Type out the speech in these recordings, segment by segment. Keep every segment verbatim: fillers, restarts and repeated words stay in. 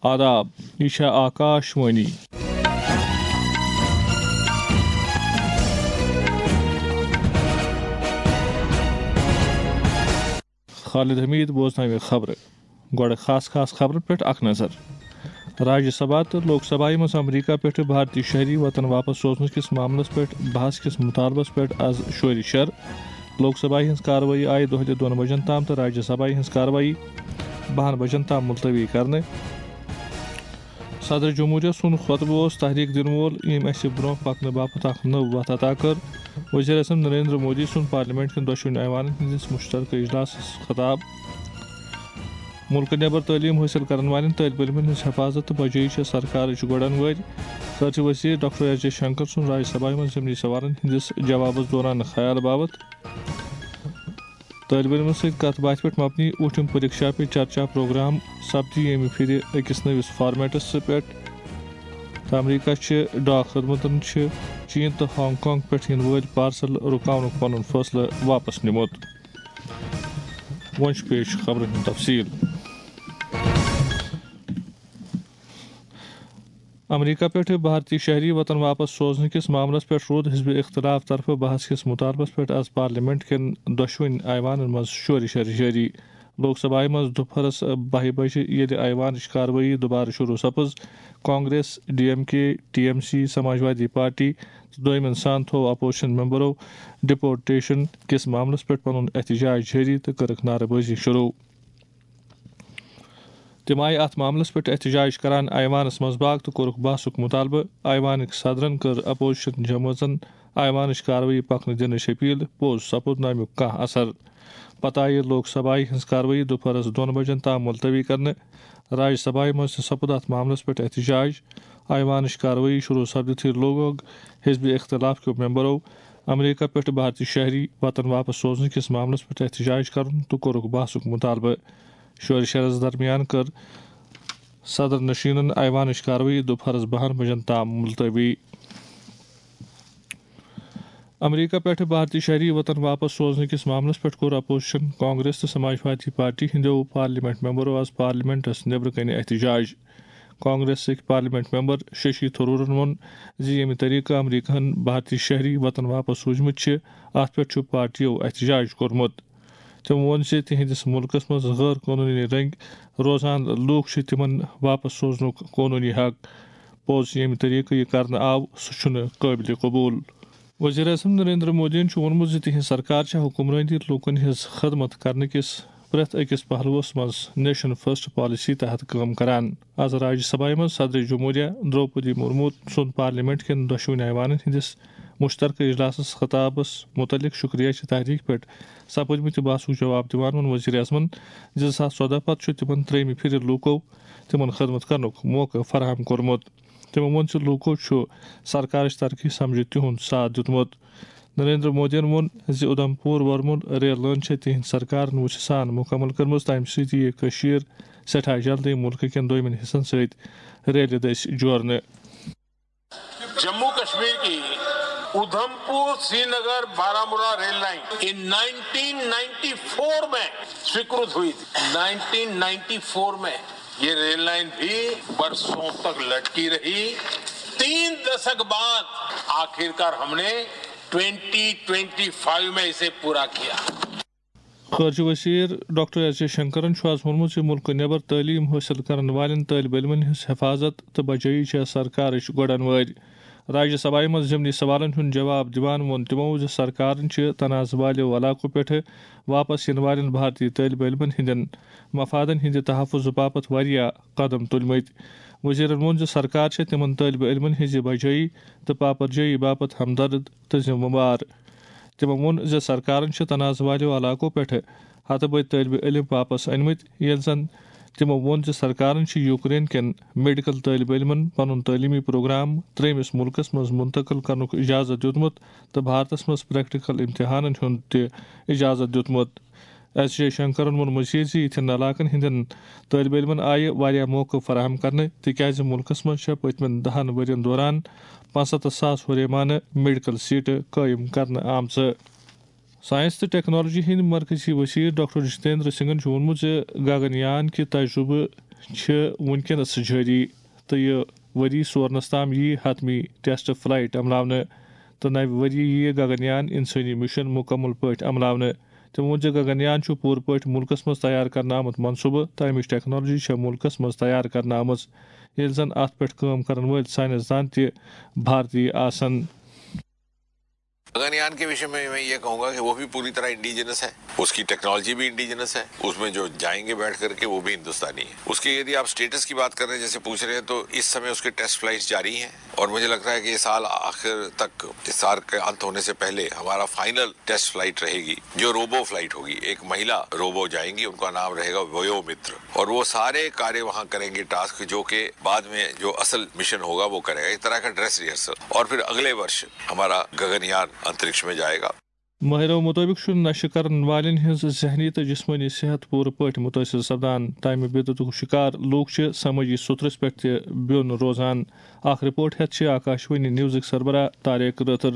آداب، یہِ چھےٚ آکاش وانی۔ خالد حمید بوزناوِ خبرٕ۔ گۄڈٕ خاص خاص خبرن پٮ۪ٹھ اکھ نظر۔ راجیہ سبھا تہٕ لوک سبھایہِ منٛز امریکہ پٮ۪ٹھٕ بھارتی شہری وطن واپس سوزنہٕ کِس معاملس پٮ۪ٹھ بحث کِس مطالبس پٮ۪ٹھ از شورِ شر۔ لوک سبھایہِ ہٕنٛز کاروٲیی آیہِ دۄہلہِ دۄن بجن تام تہٕ راجیہ سبھایہِ ہٕنٛز کاروٲیی بہن بجن تام ملتوی کرنہٕ۔ صدر جمہوریہ سُنٛد خطبہٕ اوس تحریک دِنہٕ وول، ییٚمۍ اَسہِ برٛونٛہہ پکنہٕ باپتھ اکھ نٔو وتھ عطا کٔر۔ وزیر اعظم نریندر مودی سُنٛد پارلیمنٹ کٮ۪ن دۄشوٕنی ایوانن ہٕنٛدِس مشترکہ اجلاسس خطاب۔ مُلکہٕ نٮ۪بر تعلیٖم حٲصِل کرن والٮ۪ن طٲلبہِ علمن ہٕنٛز حفاظت تہٕ بجٲیی چھےٚ سرکارٕچ گۄڈن وٲرۍ۔ خارجہ وزیر ڈاکٹر ایس جے شنکر سُنٛد راجیہ سبھایہ منٛز ضمنی سوالن ہٕنٛدِس جوابس دوران خیال باوت۔ طٲلبہِ علمن سۭتۍ کتھ باتھِ پٮ۪ٹھ مبنی اوٗٹھِم پریکشا پے چرچا پروگرام سپدِ ییٚمہِ پھِرِ أکِس نٔوِس فارمیٹس پٮ۪ٹھ۔ تہٕ امریکہ چہِ ڈاک خدمتن چھِ چین تہٕ ہانگ کانگ پٮ۪ٹھ یِنہٕ وٲلۍ پارسل رُکاونُک پنُن فٲصلہٕ واپس نِمُت۔ وۄنۍ چھُ پیش خبرن ہُنٛد تفصیل۔ امریکہ پٮ۪ٹھٕ بھارتی شہری وطن واپس سوزنہٕ کِس معاملس پٮ۪ٹھ روٗد حزب اختلاف طرفہٕ بحث کِس مطالبس پٮ۪ٹھ از پارلیمنٹ کٮ۪ن دۄشوٕنۍ ایوانن منٛز شورِ شر جٲری۔ لوک سبھایہ منٛز دُپہرس بَہہِ بجہِ ییٚلہِ ایوانٕچ کاروٲیی دُبارٕ شروع سپٕز، Congress, D M K, T M C, Samajwadi party تہٕ دوٚیمٮ۪ن سان تھوٚو اپوزیشن ممبرو ڈپورٹیشن کِس معاملس پٮ۪ٹھ پنُن احتجاج جٲری تہٕ کٔرٕکھ نعرٕ بٲزی شروع۔ تِم آیہِ اَتھ معاملَس پٮ۪ٹھ احتجاج کران ایوانَس منٛز باغ تہٕ کوٚرُکھ بحثُک مُطالبہٕ۔ ایوانٕکۍ صدرَن کٔر اپوزیشن جمٲژن ایوانٕچ کاروٲیی پکنہٕ دِنٕچ اپیل، پوٚز سپُد نہٕ اَمیُک کانٛہہ اثر۔ پتہٕ آیہِ لوک سبھایہِ ہٕنٛز کاروٲیی دُپہرَس دۄن بجن تام ملتوی کرنہٕ۔ راجیہ سبھایہِ منٛز تہِ سپُد اَتھ معاملَس پٮ۪ٹھ احتجاج۔ ایوانٕچ کاروٲیی شروع سپدِتھٕے لوگوگ حزب اختلاف کیو ممبرو امریکہ پٮ۪ٹھ بھارتی شہری وطن واپس سوزنہٕ کِس معاملَس پٮ۪ٹھ احتجاج کرُن تہٕ کوٚرُکھ بحثُک مُطالبہٕ۔ شورِ شرس درمیان کٔر صدر نشینن ایوانٕچ کاروٲیی دُپہرس بَہَن بجن تام ملتوی۔ امریکہ پٮ۪ٹھٕ بھارتی شہری وطن واپس سوزنہٕ کِس معاملس پٮ۪ٹھ کوٚر اپوزیشن، کانگریس تہٕ سماجوادی پارٹی ہٕنٛدیو پارلیمنٹ ممبرو آز پارلیمنٹس نیبرٕ کنہِ احتجاج۔ کانگریسٕکۍ پارلیمنٹ ممبر ششی تھرورن ووٚن زِ ییٚمہِ طریقہٕ امریکہن بھارتی شہری وطن واپس سوٗزمٕتۍ چھِ، اتھ پٮ۪ٹھ چھُ پارٹیو احتجاج کوٚرمُت۔ تٔمۍ ووٚن زِ تِہنٛدِس مُلکَس منٛز غٲر قونوٗنی رٔنٛگۍ روزان لوٗکھ چھِ تِمَن واپس سوزنُک قونوٗنی حق۔ پوٚز ییٚمہِ طریقہٕ یہِ کرنہٕ آو، سُہ چھُنہٕ قٲبلِ قبوٗل۔ وزیر اعظم نریندر مودیَن چھُ ووٚنمُت زِ تِہنٛز سرکار چھےٚ حکمرٲنی لوٗکَن ہٕنٛز خدمت کرنہٕ کِس پرٛٮ۪تھ أکِس پہلوَس منٛز نیشن فرسٹ پالیسی تحت کٲم کران۔ از راجیہ سبھایہ منٛز صدر جمہوریہ درٛوپدی مرمو سُنٛد پارلیمنٹ کٮ۪ن دۄشوٕنی ایوانَن ہٕنٛدِس مشترکہ اجلاسَس خطابَس مُتعلق شکریہ چہِ تحریک پٮ۪ٹھ سپٕدمٕتہِ بحثُک جواب دِوان ووٚن وزیر اعظمن زِ زٕ ساس ژۄدہ پتہٕ چھُ تِمن ترٛیٚیمہِ پھِرِ لوٗکو تِمن خدمت کرنُک موقعہٕ فراہم کوٚرمُت۔ تٔمۍ ووٚن زِ لوٗکو چھُ سرکارٕچ ترقی سمجھِتھ تِہُنٛد ساتھ دیُتمُت۔ نریندر مودیَن ووٚن زِ اُدھمپور ورمُل ریل لٲن چھےٚ تِہنٛدِ سرکارن وُژھِ سان مُکمل کٔرمٕژ، تَمہِ سۭتۍ یِیہِ کٔشیٖر سٮ۪ٹھاہ جلدی مُلکہٕ کٮ۪ن دوٚیمٮ۪ن حصن سۭتۍ ریلہِ دٔسۍ جوڑنہٕ۔ जम्मू कश्मीर की उधमपुर श्रीनगर बारामूला रेल लाइन ये नाइनटीन नाइंटी फ़ोर में स्वीकृत हुई थी। नाइनटीन नाइंटी फ़ोर में ये रेल लाइन भी बरसों तक लटकी रही। तीन दशक बाद आखिरकार हमने ट्वेंटी ट्वेंटी फ़ाइव में इसे पूरा किया। خارجہ وزیر ڈاکٹر ایس جے شنکرن چھُ آز ووٚنمُت زِ مُلکہٕ نٮ۪بر تعلیٖم حٲصِل کرن والٮ۪ن طٲلبہِ علمن ہٕنٛز حفاظت تہٕ بجٲیی چھےٚ سرکارٕچ گۄڈن وٲرۍ۔ راجیہ سبھایہ منٛز ضمنی سوالن ہُنٛد جواب دِوان ووٚن تِمو زِ سرکارن چھِ تنازٕ والیو علاقو پٮ۪ٹھٕ واپس یِنہٕ والٮ۪ن بھارتی طٲلبہِ علمن ہٕنٛدٮ۪ن مفادن ہٕنٛدِ تحفظ باپتھ واریاہ قدم تُلمٕتۍ۔ وزیرن ووٚن زِ سرکار چھےٚ تِمن طٲلبہِ علمن ہٕنٛزِ بجٲیی تہٕ پاپرجٲیی باپتھ ہمدرد تہٕ ذمہٕ وار۔ تِمو ووٚن زِ سرکارن چھِ تنازٕ والیو علاقو پٮ۪ٹھٕ ہتہٕ بٔدۍ طٲلبہِ علم واپس أنمٕتۍ، ییٚلہِ زن تِمو ووٚن زِ سرکارن چھِ یوکرین کٮ۪ن میڈیکل طٲلبہِ علمن پنُن تعلیمی پروگرام ترٛیٚیمِس مُلکس منٛز منتقل کرنُک اجازت دیُتمُت تہٕ بھارتس منٛز پریکٹیکل امتحانن ہُنٛد تہِ اجازت دیُتمُت۔ ایس جے شنکرن ووٚن مزید زِ یِتھٮ۪ن علاقن ہٕنٛدٮ۪ن طٲلبہِ علمن آیہِ واریاہ موقعہٕ فراہم کرنہٕ، تِکیازِ مُلکس منٛز چھےٚ پٔتمٮ۪ن دہن ؤرین دوران پانٛژستتھ ساس ہُریمانہٕ میڈیکل سیٹہٕ قٲیِم کرنہٕ آمژٕ۔ ساینس تہٕ ٹیکنالوجی ہٕنٛدۍ مرکزی وزیر ڈاکٹر جتیندر سنگھن چھُ ووٚنمُت زِ گگن یان کہِ تجرُبہٕ چھِ وُنکیٚنَس جٲری، تہٕ یہِ ؤری سورنَس تام یِیہِ حتمی ٹیسٹ فلائٹ عملاونہٕ، تہٕ نَوِ ؤریہِ یِیہِ گگنیان انسٲنی مشن مکمل پٲٹھۍ عملاونہٕ۔ تٔمۍ ووٚن زِ گگنیان چھُ پوٗرٕ پٲٹھۍ مُلکَس منٛز تیار کرنہٕ آمُت منصوٗبہٕ، تہٕ اَمِچ ٹیکنالوجی چھےٚ مُلکَس منٛز تیار کرنہٕ آمٕژ، ییٚلہِ زَن اَتھ پٮ۪ٹھ کٲم کرن وٲلۍ ساینس دان تہِ بھارتی آسن۔ گگنیان کے وشے میں میں یہ کہوں گا کہ وہ بھی پوری طرح انڈیجنس ہے، اس کی ٹیکنالوجی بھی انڈیجنس ہے، اس میں جو جائیں گے بیٹھ کر کے وہ بھی ہندوستانی ہے۔ اس کے یدی آپ اسٹیٹس کی بات کر رہے ہیں، جیسے پوچھ رہے ہیں، تو اس سمے اس کے ٹیسٹ فلائٹس جاری ہیں اور مجھے لگتا ہے کہ یہ سال آخر تک، اس سال کے انت ہونے سے پہلے ہمارا فائنل ٹیسٹ فلائٹ رہے گی، جو روبو فلائٹ ہوگی، ایک مہیلا روبو جائیں گی، ان کا نام رہے گا ویو متر، اور وہ سارے کاریہ وہاں کریں گے، ٹاسک جو کہ بعد میں جو اصل مشن ہوگا وہ کرے گا، ایک طرح کا ڈریس ریہرسل، اور پھر اگلے ورش ہمارا گگنیان انترکش میں جائے گا۔ ماہرو مطٲبق چھُ نشہٕ کرن والٮ۪ن ہٕنٛز ذہنی تہٕ جسمٲنی صحت پوٗرٕ پٲٹھۍ مُتٲثر سپدان۔ تَمہِ بدعتُک شکار لوٗکھ چھِ سمٲجی سوٚترَس پٮ۪ٹھ تہِ بیوٚن روزان۔ اکھ رپورٹ ہٮ۪تھ چھِ آکاشوانی نیوزٕکۍ سربراہ طارق رٲتھٕر۔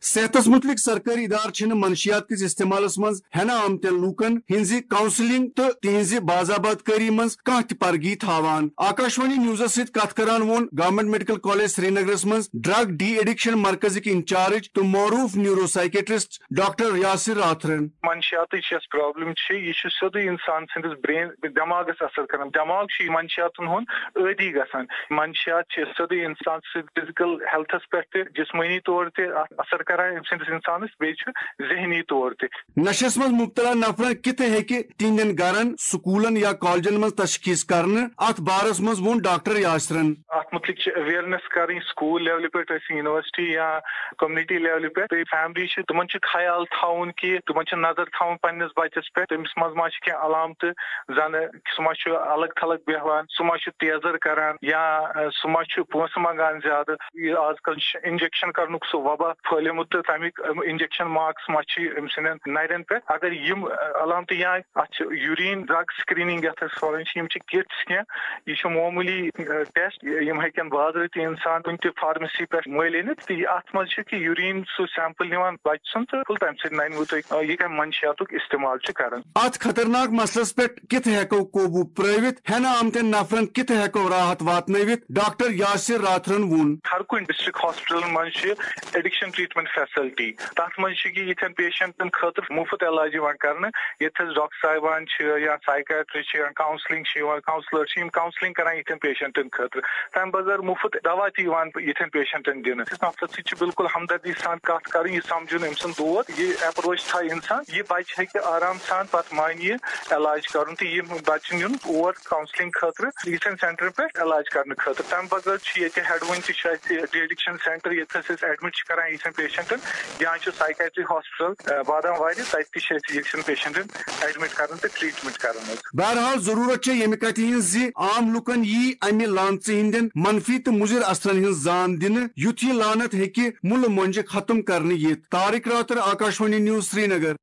صحتس متعلق سرکٲرۍ ادارٕ چھِنہٕ منشیات کِس استعمالس منٛز ہٮ۪نہٕ آمتٮ۪ن لوٗکن ہٕنٛزِ کاؤنسلنگ تہٕ تِہنٛزِ باضابطکٲری منٛز کانٛہہ تہِ پرگی تھاوان۔ آکاشوانی نیوزس سۭتۍ کتھ کران ووٚن گورنمنٹ میڈیکل کالج سرینگرس منٛز ڈرگ ڈی ایڈکشن مرکزٕکۍ انچارج تہٕ معروٗف نیورو سائیکیٹرسٹ ڈاکٹر یاسر راتھرن۔ منشیاتٕچ یۄس پرابلم چھِ، یہِ چھُ سیوٚدُے انسان سٕنٛدِس برین دٮ۪ماغس اثر کران۔ دٮ۪ماغ چھُ یہِ منشیاتن ہُنٛد عٲدی گژھان۔ منشیات چھِ سیوٚدُے انسان سٕنٛدِ فزیکل ہیلتھس پٮ۪ٹھ تہِ، جسمٲنی طور تہِ اثر کران أمۍ سٕنٛدِس انسانس، بیٚیہِ چھُ ذہنی طور تہِ۔ نشس منٛز مبتلا نفرن کِتھ ہیٚکہِ تِہنٛدٮ۪ن گرن، سکوٗلن یا کالجن منٛز تشخیص کرنہٕ؟ اتھ بارس منٛز ووٚن ڈاکٹر یاسرن۔ اتھ متعلق چھِ اویئرنیس کرٕنۍ سکول لیولہِ پٮ۪ٹھ، ٲسِن یونیورسٹی یا کمیونٹی لیولہِ پٮ۪ٹھ۔ بیٚیہِ فیملی چھِ، تِمن چھُ خیال تھاوُن کہِ تِمن چھِ نظر تھاوُن پننِس بچس پٮ۪ٹھ، تٔمِس منٛز ما چھِ کینٛہہ علامتہٕ، زن سُہ ما چھُ الگ تھلگ بیہوان، سُہ ما چھُ تیزر کران، یا سُہ ما چھُ پونٛسہٕ منٛگان زیادٕ۔ یہِ آز کل چھُ انجیکشن کرنُک سُہ وبا پھٔہلیومُت تہٕ تمیُک انجیکشن مارکس ما چھِ أمۍ سٕنٛدٮ۪ن نرٮ۪ن پٮ۪ٹھ۔ اگر یِم علامتہٕ یا اتھ چھِ یوریٖن ڈرگ سکریننگ یتھ أسۍ ونان چھِ، یِم چھِ کٹس کینٛہہ، یہِ چھُ معموٗلی ٹیسٹ، یِم ہیٚکن بازرٕ تہِ انسان کُنہِ تہِ فارمیسی پٮ۪ٹھ مٔلۍ أنِتھ۔ تہٕ یہِ اتھ منٛز چھِ کہِ یوریٖن سُہ سیمپل نِوان بچہِ سُنٛد تہٕ تمہِ سۭتۍ ننہِ وٕ تۄہہِ، آ، یہِ کمہِ منشیاتُک استعمال چھُ کران۔ اتھ خطرناک مسلس پٮ۪ٹھ کِتھ ہٮ۪کو قوبوٗ پرٲوِتھ؟ ہٮ۪نہٕ آمتٮ۪ن نفرن کِتھ ہٮ۪کو راحت واتنٲوِتھ؟ ڈاکٹر یاسر راتھرن ووٚن۔ ہر کُنہِ ڈسٹرکٹ ہاسپٹلن منٛز چھِ ایڈکشن ٹریٹمنٹ فیسلٹی۔ تَتھ منٛز چھِ کہِ یِتھٮ۪ن پیشنٹن خٲطرٕ مُفت علاج یِوان کرنہٕ، ییٚتہِ حظ ڈاکٹر صاحبان چھِ یا سایکیٹرسٹ چھِ یا کاؤنسلنگ چھِ یِوان، کاؤنسلر چھِ، یِم کاؤنسلنگ کران یِتھٮ۪ن پیشنٹن خٲطرٕ۔ تَمہِ بغٲر مُفت دوا تہِ یِوان یِتھٮ۪ن پیشنٹن دِنہٕ۔ أمِس نفرس سۭتۍ چھِ بالکل ہمدردی سان کتھ کرٕنۍ، یہِ سمجھُن أمۍ سُنٛد دود، یہِ اپروچ تھایہِ انسان، یہِ بچہِ ہیٚکہِ آرام سان پتہٕ مانہِ یہِ علاج کرُن تہٕ یِم بچہِ نِیُن اور کاؤنسلنگ خٲطرٕ، یِتھٮ۪ن سینٹرن پٮ۪ٹھ علاج کرنہٕ خٲطرٕ۔ تَمہِ بغٲر چھِ ییٚتہِ ہیڈوٕنۍ تہِ چھُ اَسہِ ڈی ایڈکشن سینٹر، ییٚتہِ أسۍ أسۍ ایڈمٹ چھِ کران یِتھٮ۪ن پیشنٹن، یا چھُ سایکیٹری ہاسپٹل، آ، بادام واری، تَتہِ تہِ چھِ أسۍ یِتھٮ۪ن پیشنٹن ایڈمٹ کران تہٕ ٹریٹمنٹ کران حظ۔ بہرحال، ضروٗرت چھےٚ ییٚمہِ کتھِ ہٕنٛز زِ عام لوٗکن یی امہِ لانژٕ ہٕنٛدٮ۪ن منفی تہٕ مُضِر اثرن ہٕنٛز زان دِنہٕ، یُتھ یہِ لعنت ہیٚکہِ مُلہٕ مۄنجہِ ختم کرنہٕ یِتھ۔ طارق راتر، آکاشوانی نیوز، سرینگر۔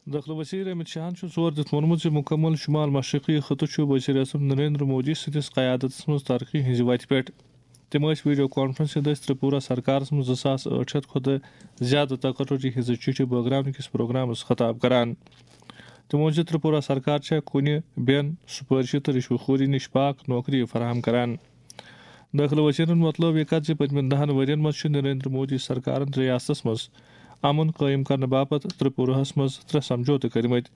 دٲخلہٕ وزیر امت شاہن چھُ زور دِتھ ووٚنمُت زِ مُکمل شمال مشرقی خطہٕ چھُ وزیر اعظم نریندر مودی سٕنٛدِس قیادتس منٛز ترقی ہٕنٛزِ وتہِ پٮ۪ٹھ۔ تِم ٲسۍ ویڈیو کانفرنسہِ دٔسۍ ترپورہ سرکارس منٛز زٕ ساس ٲٹھ شیٚتھ کھۄتہٕ زیادٕ تقرری ہٕنٛزٕ چِٹھِ بٲگراونہٕ کِس پروگرامس خطاب کران۔ تِمو ووٚن زِ ترپورہ سرکار چھےٚ کُنہِ بین سُپٲرشہِ تہٕ رشوٕ خوری نِش پاک نوکری فراہم کران۔ دٲخلہٕ وزیرن وۄتلٲو یہِ کتھ زِ پٔتمٮ۪ن دہن ؤرین منٛز چھُ نریندر مودی سرکارن ریاستس منٛز امن قٲیِم کرنہٕ باپتھ ترپوراہس منٛز ترٛےٚ سمجھوتہٕ کٔرمٕتۍ۔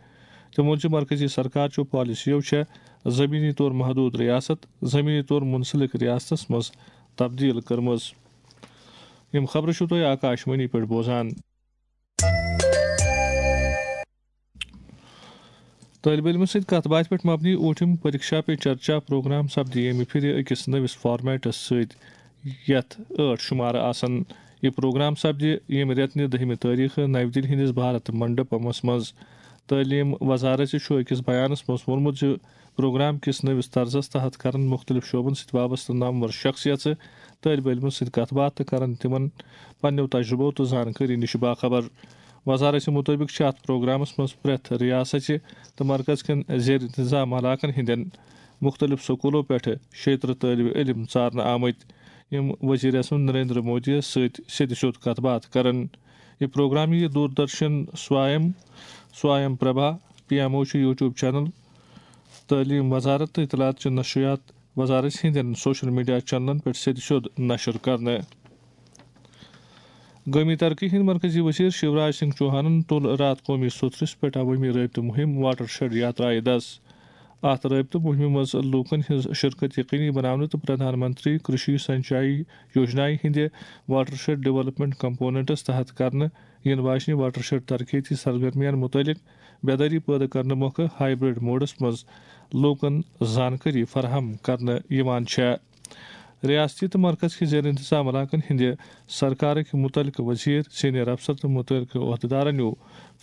تٔمۍ ووٚن زِ مرکزی سرکار چٮ۪و پالیسیو چھےٚ زمینی طور محدود ریاست زمینی طور منسلک ریاستس منٛز تبدیل کٔرمٕژ۔ یِم خبرٕ چھِو تُہۍ آکاش وانی پٮ۪ٹھ بوزان۔ طٲلبہِ علمَن سۭتۍ کَتھ باتھِ پٮ۪ٹھ مبنی اوٗٹھِم پریکشا پے چرچا پروگرام سپدِ ییٚمہِ پھِرِ أکِس نٔوِس فارمیٹَس سۭتۍ، یَتھ ٲٹھ شُمارٕ آسَن۔ یہِ پروگرام سپدِ ییٚمہِ رٮ۪تہٕ نہِ دٔہمہِ تٲریٖخہٕ نَوِ دِلہِ ہٕنٛدِس بھارت منڈپمَس منٛز۔ تعلیٖم وزارت چھُ أکِس بیانَس منٛز ووٚنمُت زِ پروگرام کِس نٔوِس طرزَس تحت کرَن مُختٔلِف شعبَن سۭتۍ وابستہٕ نامور شخصیژٕ طٲلبہِ علمَن سۭتۍ کَتھ باتھ تہٕ کرَن تِمَن پننیو تجربو تہٕ زانکٲری نِش باخبر۔ وزارت مُطٲبِق چھِ اَتھ پروگرامَس منٛز پرٛٮ۪تھ ریاستٕچہِ تہٕ مرکز کٮ۪ن زیر انتظام علاقَن ہٕنٛدٮ۪ن مُختٔلِف سکوٗلو پٮ۪ٹھٕ شیٚیہِ ترٕٛہ طٲلبہِ علم ژارنہٕ آمٕتۍ، یِم وزیر اعظم نریندر مودی یَس سۭتۍ سیٚدِ سیوٚد کَتھ باتھ کرَن۔ یہِ پروگرام یِیہِ Doordarshan سوایم، سوایم Prabha, P M O چھُ یوٹیوب چینل، تعلیٖم وزارت تہٕ اطلاعات چہِ نشریات وزارت ہٕنٛدٮ۪ن سوشل میڈیا چینلن پٮ۪ٹھ سیٚدِ سیوٚد نشر کرنہٕ۔ قومی ترقی ہٕنٛدۍ مرکزی وزیر شیوراج سنگھ چوہانن تُل راتھ قومی سترس پٮ۪ٹھ عوٲمی رٲبطہٕ مُہِم واٹر شیڈ یاترایہِ دَس۔ اَتھ رٲبطہٕ مُہِمہِ منٛز لوٗکن ہٕنٛز شرکت یقینی بناونہٕ تہٕ پرٛدھان منتری کرشی سنچائی یوجنایہِ ہٕنٛدِ واٹر شیڈ ڈیولپمنٹ کمپوننٹس تحت کرنہٕ یِنہٕ واجنہِ واٹر شیڈ ترقیتی سرگرمیَن مُتعلق بیدٲری پٲدٕ کرنہٕ مۄکھٕ ہائیبرڈ موڈس منٛز لوٗکن زانکٲری فراہم کرنہٕ یِوان چھےٚ۔ ریاستی تہٕ مرکز کہِ زیر انتظام علاقن ہٕنٛدِ سرکارٕکۍ مُتعلقہٕ وزیر، سینئر افسر تہٕ مُتعلقہٕ عہدٕدارن نیوٗ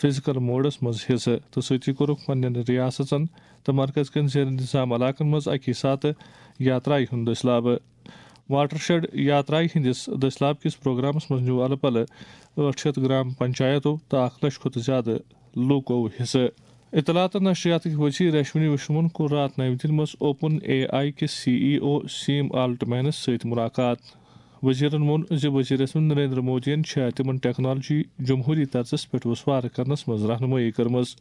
فزیکل موڈس منٛز حصہٕ تہٕ سۭتی کوٚرُکھ پننٮ۪ن ریاستن تہٕ مرکز کٮ۪ن زیر انتظام علاقن منٛز اکی ساتہٕ یاترایہِ ہُنٛد دٔسلابہٕ۔ واٹر شیڈ یاترایہِ ہٕنٛدِس دٔسلاب کِس پروگرامس منٛز نیوٗ الہٕ پلہٕ ٲٹھ شیٚتھ گرام پنچایتو تہٕ اکھ لچھ کھۄتہٕ زیادٕ لوٗکو حصہٕ۔ اطلاعات تہٕ نشریاتٕکۍ وزیر اشونی وشنون کوٚر راتھ نَوِ دِلہِ منٛز اوپن اے آئی کِس سی ای او سیم آلٹمینس سۭتۍ مُلاقات۔ وزیرن ووٚن زِ وزیر اعظم نریندر مودیَن چھےٚ تِمن ٹیکنالوجی جمہوری طرزس پٮ۪ٹھ وسوار کرنس منٛز رہنمٲیی کٔرمٕژ۔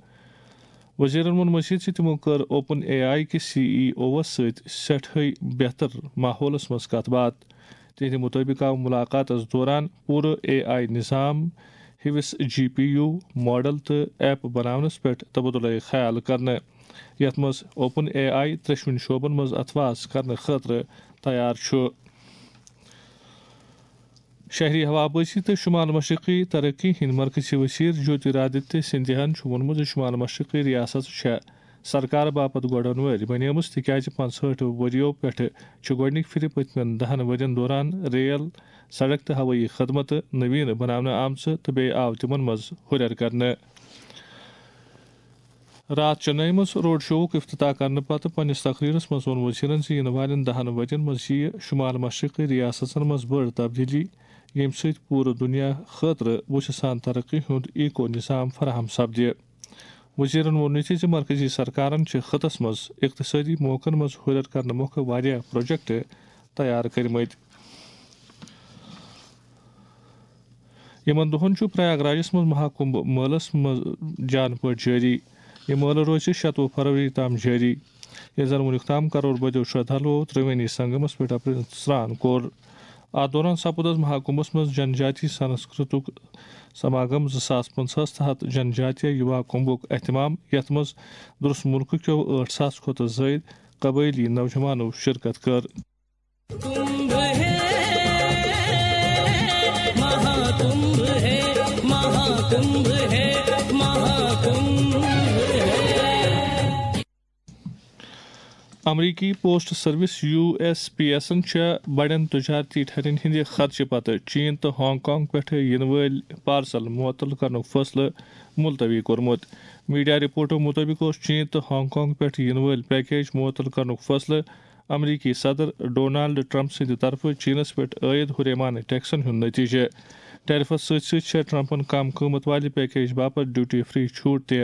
وزیرن ووٚن مزید زِ تِمو کٔر اوپن اے آئی کِس سی ای اووَس سۭتۍ سٮ۪ٹھٕے بہتر ماحولس منٛز کتھ باتھ۔ تِہنٛدِ مُطٲبِق آو مُلاقاتس دوران پوٗرٕ اے آئی نظام، ہِوِس جی پی یو ماڈل تہٕ ایپ بناونس پٮ۪ٹھ تبادلہ خیال کرنہٕ، یتھ منٛز اوپن اے آئی ترٛیٚشوٕنی شعبن منٛز اتھواس کرنہٕ خٲطرٕ تیار چھُ۔ شہری ہوابازی تہٕ شمال مشرقی ترقی ہٕنٛدۍ مرکزی وزیر جیوترادتیہ سندھیاہن چھُ ووٚنمُت زِ شمال مشرقی ریاست چھےٚ سرکار باپتھ گۄڈن وٲرۍ بنیمٕژ، تِکیازِ پنٛژہٲٹھ ؤرِیو پٮ۪ٹھٕ چھِ گۄڈٕنِکۍ پھِرِ پٔتمٮ۪ن دَہَن ؤرِین دوران ریل، سڑک تہٕ ہوٲیی خدمتہٕ نوین بناونہٕ آمژٕ تہٕ بیٚیہِ آو تِمن منٛز ہُرٮ۪ر کرنہٕ۔ راتھ چنئی منٛز روڈ شووُک افتتاح کرنہٕ پتہٕ پننِس تقریرس منٛز ووٚن وزیرن زِ یِنہٕ والٮ۪ن دَہَن ؤرِین منٛز یِیہِ شمال مشرقی ریاستن منٛز بٔڑ تبدیلی، ییٚمہِ سۭتۍ پوٗرٕ دُنیا خٲطرٕ وُچھِ سان ترقی ہُنٛد ایکو نظام فراہم سپدِ۔ وزیرن ووٚن یہِ تہِ زِ مرکزی سرکارن چھِ خطس منٛز اقتصٲدی موقعن منٛز ہُرٮ۪ر کرنہٕ مۄکھٕ واریاہ پروجیکٹ تیار کٔرمٕتۍ۔ یِمن دۄہن چھُ پریاگ راجس منٛز مہاکُمبھ مٲلس منٛز جان پٲٹھۍ جٲری۔ یہِ مٲلہٕ روزِ شَتوُہ فروری تام جٲری۔ ییٚلہِ زن وُنیُک تام کرور بٔدیو شردھالو ترٛوٲنی سنگمس پٮ۪ٹھ اپریل سرٛان کوٚر۔ اتھ دوران سپُد از مہاکُمبھس منٛز جن جاتی سنسکرتُک سماگم زٕ ساس پنٛژاہس تحت جن جاتیہ یُوا کُمبھُک اہتمام، یتھ منٛز درس مُلکہٕ کیو ٲٹھ ساس کھۄتہٕ زٲیِد قبٲیلی نوجوانو شرکت کٔر۔ کمبھ ہے، مہاکمبھ ہے، مہاکمبھ ہے، مہاکمبھ ہے۔ امریکی post service, U S P ایسن، چھےٚ بڑٮ۪ن تجارتی ٹھرین ہٕنٛدِ خدشہٕ پتہٕ چین تہٕ ہانگ کانگ پٮ۪ٹھٕ یِنہٕ وٲلۍ پارسل معطل کرنُک فٲصلہٕ ملتوی کوٚرمُت۔ میڈیا رپورٹو مُطٲبِق اوس چین تہٕ ہانگ کانگ پٮ۪ٹھ یِنہٕ وٲلۍ پیکیج معطل کرنُک فٲصلہٕ امریکی صدر ڈونالڈ ٹرمپ سٕنٛدِ طرفہٕ چینس پٮ۪ٹھ عٲید ہُریمانہٕ ٹیکسن ہُنٛد نتیجہٕ۔ ٹیرفس سۭتۍ سۭتۍ چھےٚ ٹرمپن کم قۭمتھ والہِ پیکیج باپتھ ڈیوٹی فری چھوٹ تہِ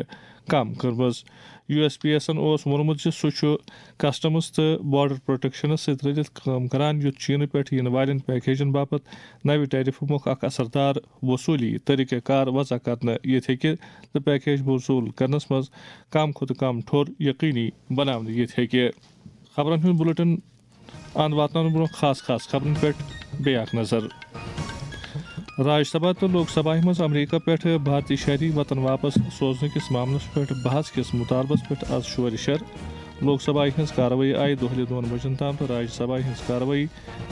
کم کٔرمٕژ۔ یو ایس پی ایسن اوس ووٚنمُت زِ سُہ چھُ کسٹمز تہٕ بارڈر پروٹیکشنس سۭتۍ رٔلِتھ کٲم کران، یُتھ چینہٕ پٮ۪ٹھ یِنہٕ والٮ۪ن پیکیجن باپتھ نوِ ٹیرفہٕ مۄکھ اکھ اثردار وصولی طریقہ کار وضع کرنہٕ یِتھ ہیٚکہِ تہٕ پیکیج وصوٗل کرنس منٛز کم کھۄتہٕ کم ٹھوٚر یقینی بناونہٕ یِتھ ہیٚکہِ۔ خبرن ہُنٛد بُلٹن اند واتناونہٕ برونٛہہ خاص خاص خبرن پٮ۪ٹھ بیٚیہِ اکھ نظر۔ راج سبھا تہٕ لوک سبھاہہِ منٛز امریکہ پٮ۪ٹھ بھارتی شہری وطن واپس سوزنہٕ کِس معاملس پٮ۪ٹھ بحث کِس مطالبس پٮ۪ٹھ از شورِ شر۔ لوک سبھایہِ ہٕنٛز کاروٲیی آیہِ دۄہلہِ دۄن بجن تام تہٕ راج سبھایہِ ہٕنٛز کاروٲیی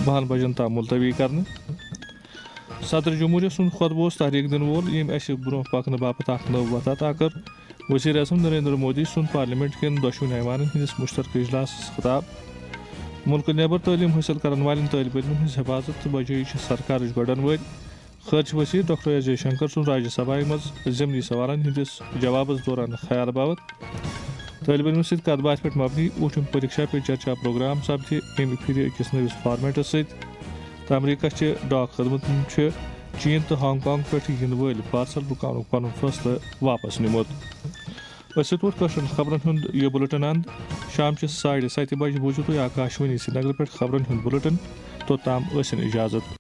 بہن بجن تام ملتوی کرنہٕ۔ صدر جمہوریہ سُنٛد خطبہٕ اوس تحریک دِنہٕ وول، ییٚمۍ اسہِ برونٛہہ پکنہٕ باپتھ اکھ نٔو وتھ عطا کٔر۔ وزیر اعظم نریندر مودی سُنٛد پارلیمنٹ کٮ۪ن دۄشوٕنی ایوانن ہٕنٛدِس مشترکہٕ اجلاسس خطاب۔ مُلکہٕ نٮ۪بر تعلیٖم حٲصِل کرن والٮ۪ن طٲلب علمن ہٕنٛز حفاظت تہٕ بجٲیی چھِ سرکارٕچ گۄڈن وٲرۍ۔ خارجہ وزیر ڈاکٹر ایس جے شنکر سُنٛد راجیہ سبھایہ منٛز ضمنی سوالن ہٕنٛدِس جوابس دوران خیال باوت۔ طٲلب علمن سۭتۍ کتھ باتھِ پٮ۪ٹھ مبنی اوٗٹھِم پریکشا پے چرچا پروگرام سپدِ ییٚمہِ پھِرِ أکِس نٔوِس فارمیٹس سۭتۍ۔ تہٕ امریکہ چہِ ڈاک خدمتن چھُ چین تہٕ ہانگ کانگ پٮ۪ٹھ یِنہٕ وٲلۍ پارسل رُکاونُک پنُن فٲصلہٕ واپس نِمُت۔ أسۍ سۭتۍ ووت کٲشرٮ۪ن خبرن ہُنٛد یہِ بُلٹن اند۔ شام چہِ ساڑِ ستہِ بجہِ بوٗزِو تُہۍ آکاشوانی سرینگرٕ پٮ۪ٹھ خبرن ہُنٛد بُلٹن۔ توٚتام ٲسِن اجازت۔